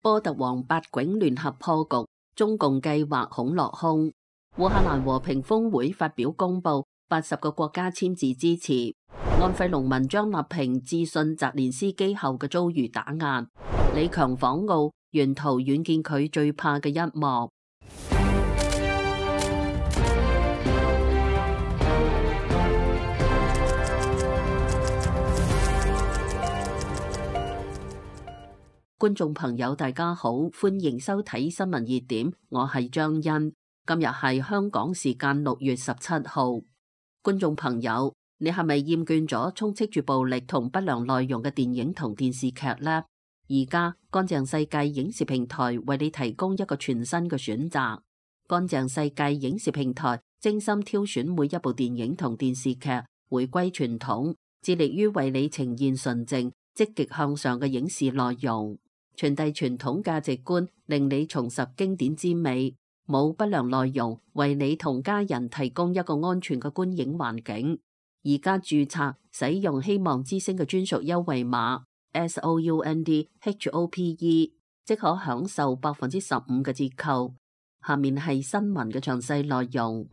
波特王八囧聯合破局，中共計劃恐落空。烏克蘭和平峰會發表公佈，80個國家簽字支持。安徽農民張立平致信澤連斯基後嘅遭遇打壓。李強訪澳，沿途遠見佢最怕嘅一幕。觀眾朋友大家好，歡迎收睇新聞熱點，我係張欣。今日係香港時間6月17號。觀眾朋友，你係咪厭倦咗充斥住暴力同不良內容嘅電影同電視劇呢？而家乾淨世界影視平台為你提供一個全新嘅選擇。乾淨世界影視平台精心挑選每一部電影同電視劇，回歸傳統，致力於為你呈現純正、積極向上嘅影視內容，傳遞傳統價值觀，令你重拾經典之美，冇不良內容，為你同家人提供一個安全嘅觀影環境。而家註冊使用希望之聲嘅專屬優惠碼 SOUNDHOPE， 即可享受15%嘅折扣。下面係新聞嘅詳細內容。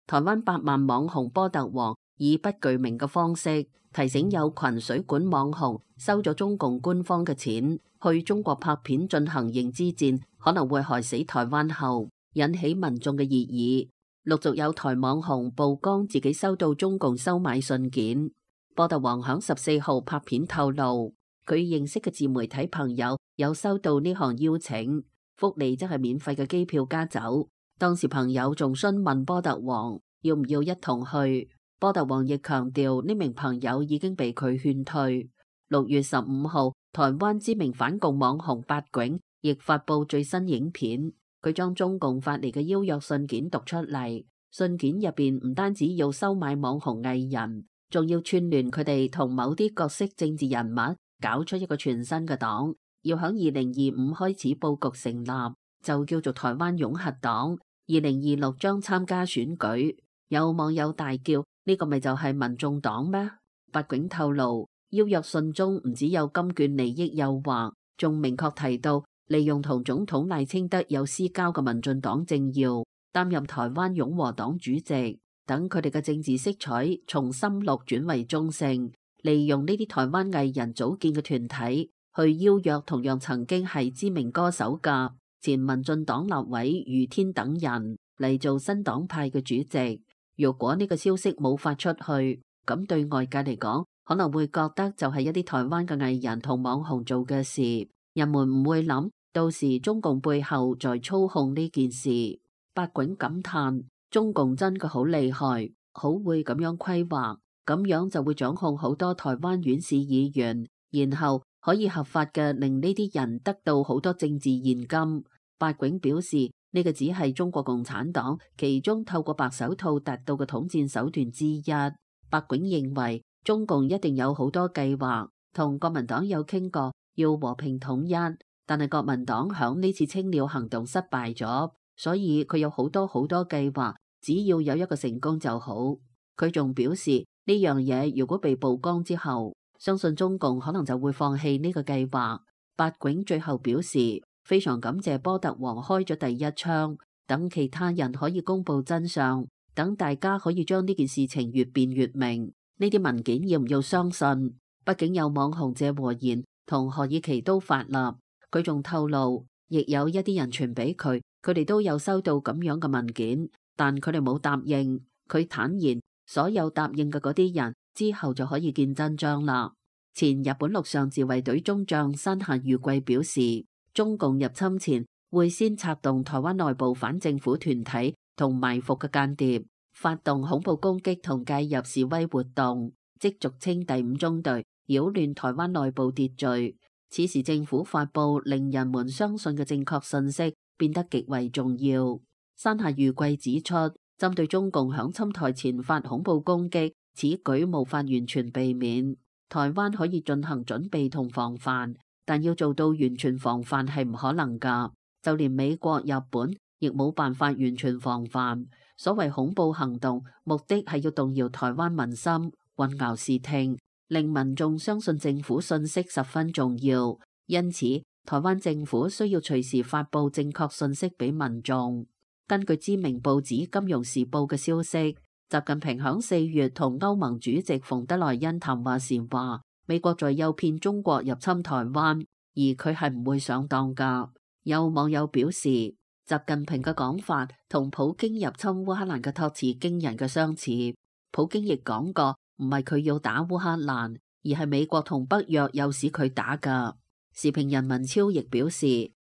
台灣百萬網紅波特王以不具名嘅方式提醒有群水管網紅收咗中共官方嘅錢去中國拍片進行認知戰，可能會害死台灣後，引起民眾嘅熱議。陸續有台網紅曝光自己收到中共收買信件。波特王響14號拍片透露，佢認識嘅自媒體朋友有收到呢項邀請，福利則係免費嘅機票加酒。當時朋友仲詢問波特王要唔要一同去。波特王亦強調呢名朋友已經被佢勸退。6月15號，台灣知名反共網紅八囧亦發佈最新影片，佢將中共發嚟嘅邀約信件讀出嚟。信件入邊唔單止要收買網紅藝人，仲要串聯佢哋同某啲角色政治人物，搞出一個全新嘅黨，要響2025開始佈局成立，就叫做台灣擁核黨。2026將參加選舉。有網友大叫：呢個咪就係民眾黨咩？八囧透露，邀約信中唔只有金券利益誘惑，仲明確提到利用同總統賴清德有私交嘅民進黨政要擔任台灣擁和黨主席，等佢哋嘅政治色彩從深綠轉為中性，利用呢啲台灣藝人組建嘅團體去邀約同樣曾經係知名歌手嘅前民進黨立委余天等人嚟做新黨派嘅主席。如果呢個消息冇發出去，咁對外界嚟講，可能會覺得就係一啲台灣嘅藝人同網紅做嘅事，人們唔會諗到時中共背後在操控呢件事。八囧感嘆：中共真嘅好厲害，好會咁樣規劃，咁樣就會掌控好多台灣縣市議員，然後可以合法嘅令呢啲人得到好多政治現金。八囧表示，呢個只係中國共產黨其中透過白手套達到嘅統戰手段之一。八囧認為中共一定有好多計劃，同國民黨有傾過要和平統一，但係國民黨響呢次清料行動失敗咗，所以佢有好多計劃，只要有一個成功就好。佢仲表示呢樣嘢如果被曝光之後，相信中共可能就會放棄呢個計劃。八囧最後表示，非常感謝波特王開咗第一槍，等其他人可以公布真相，等大家可以將呢件事情越辯越明。呢啲文件要唔要相信？畢竟有網紅謝和弦同何以琪都發立。佢仲透露，亦有一啲人傳俾佢，佢哋都有收到咁樣嘅文件，但佢哋冇答應。佢坦言，所有答應嘅嗰啲人之後就可以見真章啦。前日本陸上自衛隊中將山下裕貴表示，中共入侵前會先策動台灣內部反政府團體同埋伏嘅間諜，發動恐怖攻擊同介入示威活動，即俗稱第五中隊，擾亂台灣內部秩序。此時政府發佈令人們相信嘅正確信息變得極為重要。山下裕貴指出，針對中共響侵台前發恐怖攻擊，此舉無法完全避免。台灣可以進行準備同防範，但要做到完全防範係唔可能㗎，就連美國、日本亦冇辦法完全防範。所謂恐怖行動，目的係要動搖台灣民心，混淆視聽，令民眾相信政府信息十分重要，因此台灣政府需要隨時發布正確信息俾民眾。根據知名報紙《金融時報》嘅消息，習近平響4月同歐盟主席馮德萊恩談話時話，美國在誘騙中國入侵台灣，而佢係唔會上當㗎。有網友表示，習近平嘅講法同普京入侵烏克蘭嘅託詞驚人嘅相似。普京亦講過，唔係佢要打烏克蘭，而係美國同北約誘使佢打㗎。時評人文超亦表示，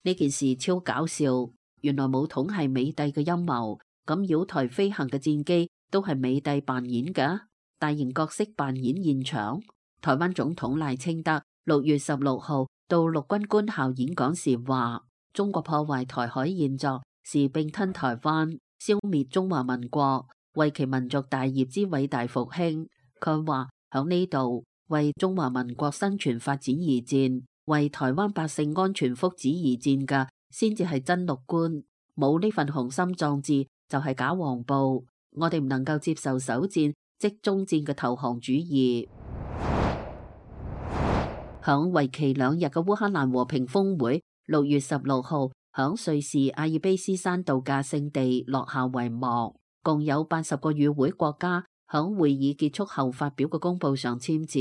呢件事超搞笑，原來武統係美帝嘅陰謀，咁繞台飛行嘅戰機都係美帝扮演㗎，大型角色扮演現場。台灣總統賴清德6月16號到陸軍官校演講時話，中國破壞台海現狀是併吞台灣，消滅中華民國，為其民族大業之偉大復興。佢話響呢度為中華民國生存發展而戰，為台灣百姓安全福祉而戰嘅先至係真陸官，冇呢份雄心壯志就係假黃埔。我哋唔能夠接受首戰即終戰嘅投降主義。響為期2日嘅烏克蘭和平峰會6月16號響瑞士阿爾卑斯山度假勝地落下帷幕，共有80個與會國家響會議結束後發表嘅公報上簽字，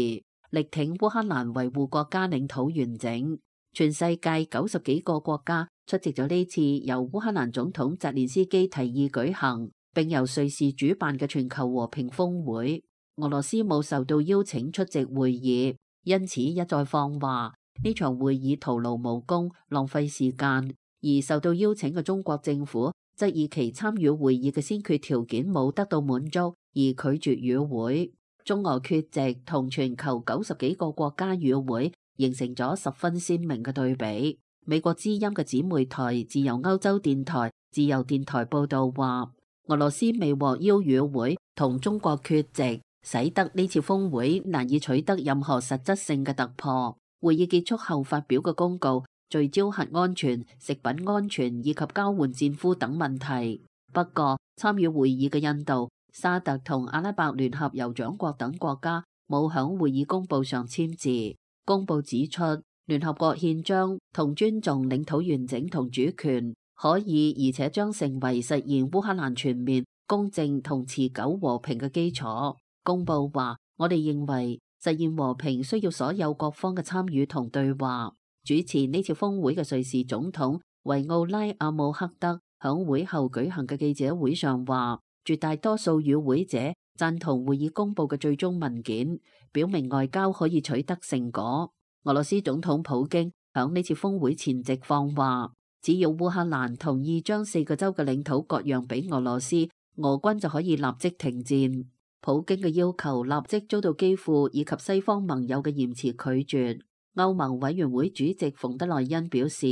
力挺烏克蘭維護國家領土完整。全世界90幾個國家出席咗呢次由烏克蘭總統澤連斯基提議舉行並由瑞士主辦嘅全球和平峰會。俄羅斯冇受到邀請出席會議，因此一再放話呢場會議徒勞無功，浪費時間。而受到邀請嘅中國政府則以其參與會議嘅先決條件冇得到滿足而拒絕與會。中俄缺席同全球90幾個國家與會，形成咗十分鮮明嘅對比。美國之音嘅姊妹台自由歐洲電台自由電台報道話，俄羅斯未獲邀與會同中國缺席，使得呢次峰會難以取得任何實質性嘅突破。會議結束後發表嘅公告聚焦核安全、食品安全以及交換戰俘等問題。不過，參與會議嘅印度、沙特同阿拉伯聯合酋長國等國家冇響會議公報上簽字。公報指出，聯合國憲章同尊重領土完整同主權可以而且將成為實現烏克蘭全面、公正同持久和平嘅基礎。公報話，我哋認為實現和平需要所有各方嘅參與同對話。主持呢次峰會嘅瑞士總統維奧拉阿姆赫德響會後舉行嘅記者會上話，絕大多數與會者贊同會議公佈嘅最終文件，表明外交可以取得成果。俄羅斯總統普京響呢次峰會前夕放話，只要烏克蘭同意將4個州嘅領土割讓俾俄羅斯，俄軍就可以立即停戰。普京嘅要求立即遭到基輔以及西方盟友嘅嚴詞拒絕。歐盟委員會主席馮德萊恩表示，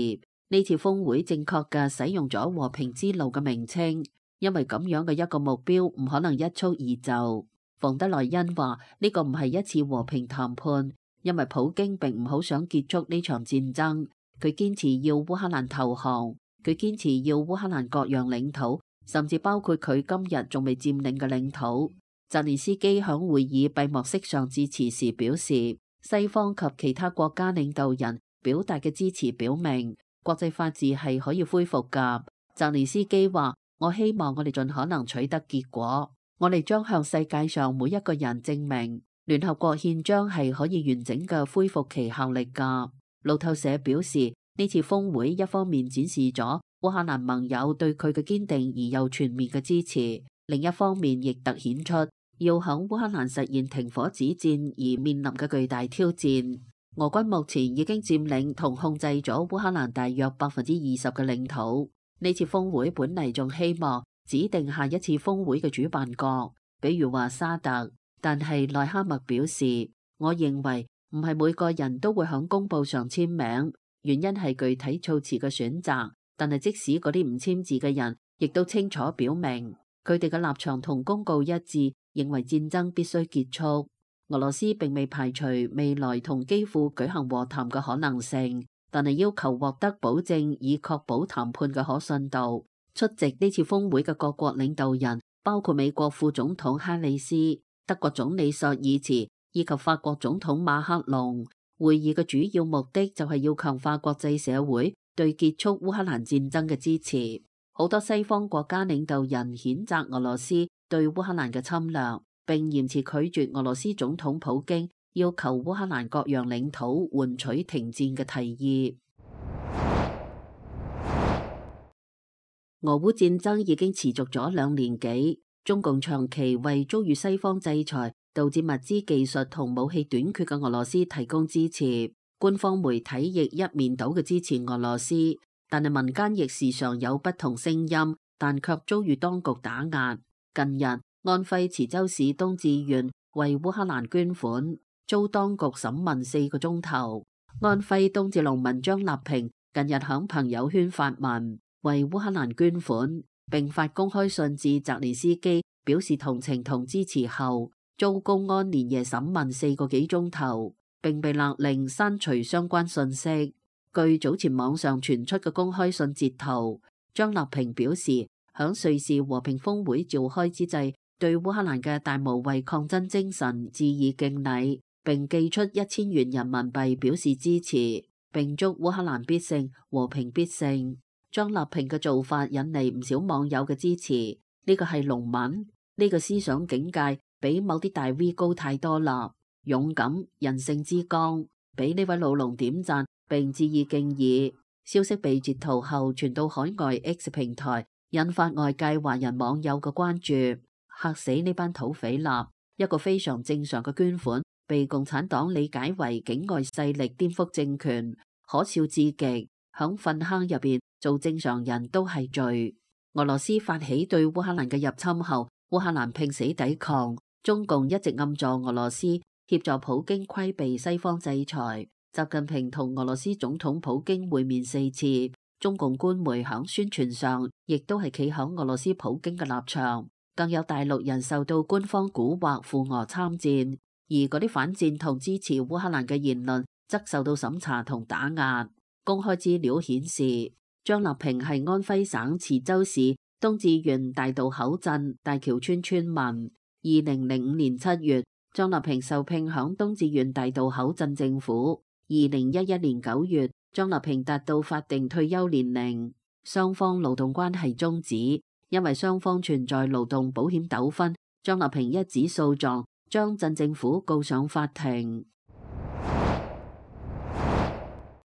呢次峰會正確嘅使用咗和平之路嘅名稱，因為咁樣嘅一個目標唔可能一蹴而就。馮德萊恩話呢個唔係一次和平談判，因為普京並唔好想結束呢場戰爭，佢堅持要烏克蘭投降，佢堅持要烏克蘭割讓領土，甚至包括佢今日仲未佔領嘅領土。澤連斯基響會議閉幕式上致辭時表示，西方及其他國家領導人表達嘅支持表明，國際法治係可以恢復㗎。澤連斯基話，我希望我哋盡可能取得結果，我哋將向世界上每一個人證明，聯合國憲章係可以完整嘅恢復其效力㗎。路透社表示，呢次峰會一方面展示咗烏克蘭盟友對佢嘅堅定而又全面嘅支持，另一方面亦凸顯出要響烏克蘭實現停火止戰而面臨嘅巨大挑戰。俄軍目前已經佔領同控制咗烏克蘭大約20%嘅領土。呢次峰會本嚟仲希望指定下一次峰會嘅主辦國，比如話沙特，但係內哈默表示，我認為唔係每個人都會響公報上簽名，原因係具體措辭嘅選擇。但係即使嗰啲唔簽字嘅人，亦都清楚表明佢哋嘅立場同公告一致，認為戰爭必須結束。俄羅斯並未排除未來同基輔舉行和談嘅可能性，但係要求獲得保證以確保談判嘅可信度。出席呢次峰會嘅各國領導人包括美國副總統哈里斯、德國總理朔爾茨以及法國總統馬克龍。會議嘅主要目的就係要強化國際社會對結束烏克蘭戰爭嘅支持。好多西方國家領導人譴責俄羅斯對烏克蘭嘅侵略，並嚴詞拒絕俄羅斯總統普京要求烏克蘭割讓領土換取停戰嘅提議。俄烏戰爭已經持續咗2年幾，中共長期為遭遇西方制裁，導致物資技術同武器短缺嘅俄羅斯提供支持。官方媒體亦一面倒嘅支持俄羅斯，但係民間亦時常有不同聲音，但卻遭遇當局打壓。近日，安徽池州市東志縣為烏克蘭捐款，遭當局審問4個鐘頭。安徽東志農民張立平近日響朋友圈發文，為烏克蘭捐款，並發公開信致澤連斯基，表示同情同支持後，遭公安連夜審問4個幾鐘頭，並被勒令刪除相關信息。據早前網上傳出嘅公開信截圖，張立平表示，響瑞士和平峰會召開之際，對烏克蘭嘅大無畏抗爭精神致以敬禮，並寄出1000元人民幣表示支持，並祝烏克蘭必勝，和平必勝。張立平嘅做法引嚟唔少網友嘅支持，呢個係農民，呢個思想境界比某啲大 V 高太多啦，勇敢人性之剛，俾呢位老農點讚並致以敬意。消息被截圖後傳到海外 X 平台，引發外界華人網友嘅關注，嚇死呢班土匪啦！一個非常正常嘅捐款，被共產黨理解為境外勢力顛覆政權，可笑至極。響糞坑入邊做正常人都係罪。俄羅斯發起對烏克蘭嘅入侵後，烏克蘭拼死抵抗，中共一直暗助俄羅斯，協助普京規避西方制裁。習近平同俄羅斯總統普京會面4次，中共官媒響宣傳上亦都係企響俄羅斯普京嘅立場，更有大陸人受到官方蠱惑赴俄參戰，而嗰啲反戰同支持烏克蘭嘅言論則受到審查同打壓。公開資料顯示，張立平係安徽省池州市東志縣大渡口鎮大橋村村民。2005年7月，張立平受聘響東志縣大渡口鎮政府。2011年9月，張立平達到法定退休年齡，雙方勞動關係終止，因為雙方存在勞動保險糾紛，張立平一紙訴狀將鎮政府告上法庭。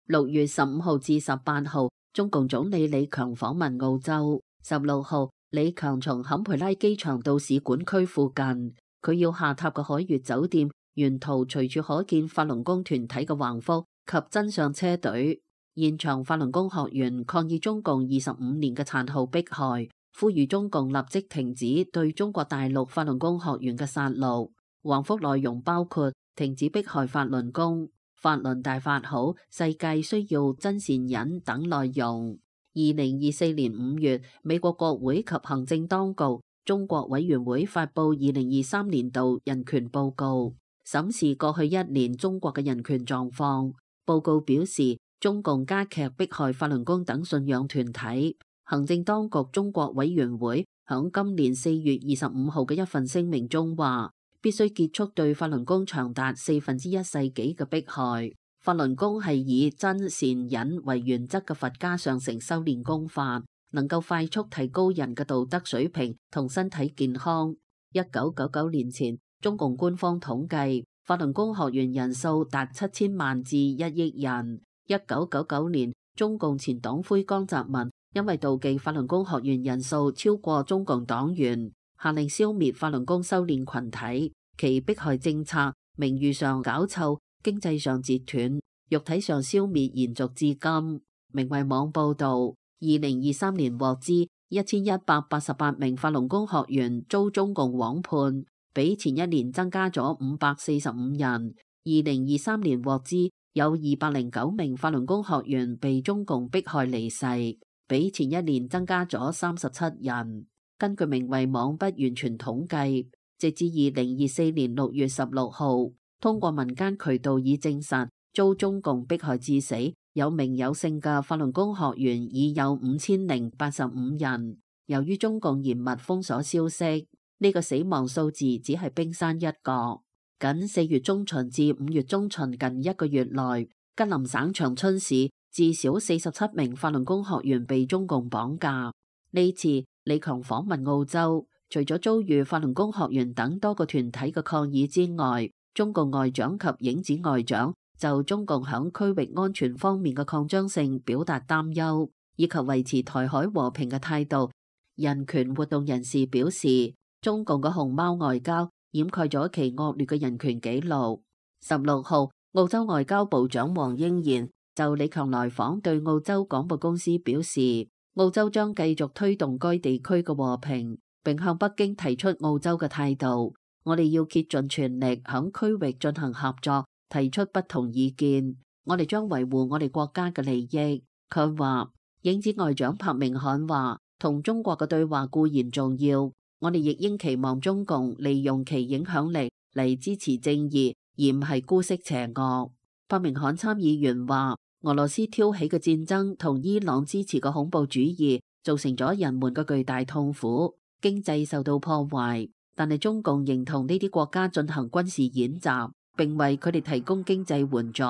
6月15號至18號，中共總理李強訪問澳洲。16號，李強從坎培拉機場到使館區附近，佢要下榻嘅海悅酒店，沿途隨處可見法輪功團體嘅橫幅及真相車隊。現場法輪功學員抗議中共25年嘅殘酷迫害，呼籲中共立即停止對中國大陸法輪功學員嘅殺戮。橫幅內容包括停止迫害法輪功、法輪大法好，世界需要真善忍等內容。2024年5月，美國國會及行政當局中國委員會發布2023年度人權報告，審視過去1年中國嘅人權狀況。報告表示，中共加劇迫害法輪功等信仰團體。行政當局中國委員會響今年4月25號嘅一份聲明中話，必須結束對法輪功長達1/4世紀嘅迫害。法輪功係以真善忍為原則嘅佛家上乘修煉功法，能夠快速提高人嘅道德水平同身體健康。1999年前，中共官方統計法輪功學員人數達7000萬至1億人。1999年，中共前黨魁江澤民因為妒忌法輪功學員人數超過中共黨員，下令消滅法輪功修煉群體，其迫害政策名譽上搞臭，經濟上截斷，肉體上消滅延續至今。明慧網報道，2023年獲知1188名法輪功學員遭中共枉判，比前一年增加咗545人。2023年獲知有209名法輪功學員被中共迫害離世，比前一年增加咗37人。根據明慧網不完全統計，直至2024年6月16號，通過民間渠道已證實遭中共迫害致死有名有姓嘅法輪功學員已有5085人。由於中共嚴密封鎖消息，呢個死亡數字只係冰山一角。僅4月中旬至5月中旬近1個月內，吉林省長春市至少47名法輪功學員被中共綁架。呢次李強訪問澳洲，除咗遭遇法輪功學員等多個團體嘅抗議之外，中共外長及影子外長就中共響區域安全方面嘅擴張性表達擔憂，以及維持台海和平嘅態度。人權活動人士表示，中共嘅熊貓外交掩蓋咗其惡劣嘅人權紀錄。16號，澳洲外交部長黃英賢就李強來訪對澳洲廣播公司表示，澳洲將繼續推動該地區嘅和平，並向北京提出澳洲嘅態度。我哋要竭盡全力響區域進行合作，提出不同意見。我哋將維護我哋國家嘅利益。佢話，影子外長柏明翰話，同中國嘅對話固然重要，我哋亦應期望中共利用其影響力嚟支持正義，而唔係姑息邪惡。柏明翰參議員話，俄羅斯挑起嘅戰爭同伊朗支持嘅恐怖主義造成咗人們嘅巨大痛苦，經濟受到破壞，但係中共仍同呢啲國家進行軍事演習，並為佢哋提供經濟援助。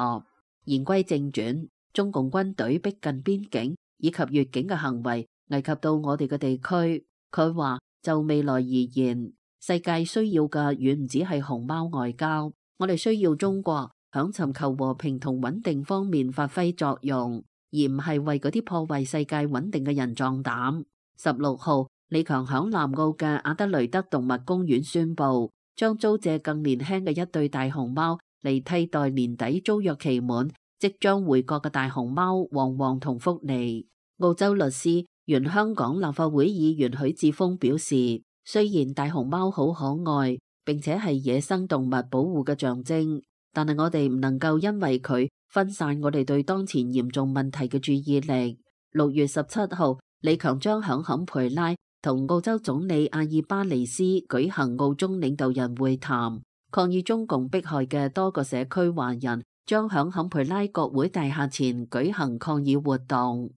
言歸正傳，中共軍隊逼近邊境以及越境嘅行為危及到我哋嘅地區。佢話，就未來而言，世界需要嘅遠唔止係熊貓外交，我哋需要中國響尋求和平同穩定方面發揮作用，而唔係為嗰啲破壞世界穩定嘅人壯膽。16號，李強響南澳嘅阿德雷德動物公園宣布，將租借更年輕嘅一對大熊貓嚟替代年底租約期滿即將回國嘅大熊貓旺旺同福利。澳洲律師、原香港立法會議員許智峰表示，雖然大熊貓好可愛，並且係野生動物保護嘅象徵，但係我哋唔能夠因為佢分散我哋對當前嚴重問題嘅注意力。6月17號，李強將響坎培拉同澳洲總理阿爾巴尼斯舉行澳中領導人會談，抗議中共迫害嘅多個社區華人將響坎培拉國會大廈前舉行抗議活動。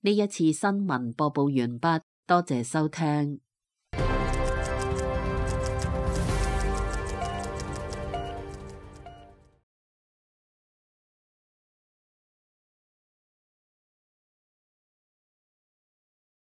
呢一次新聞播報完畢，多謝收聽。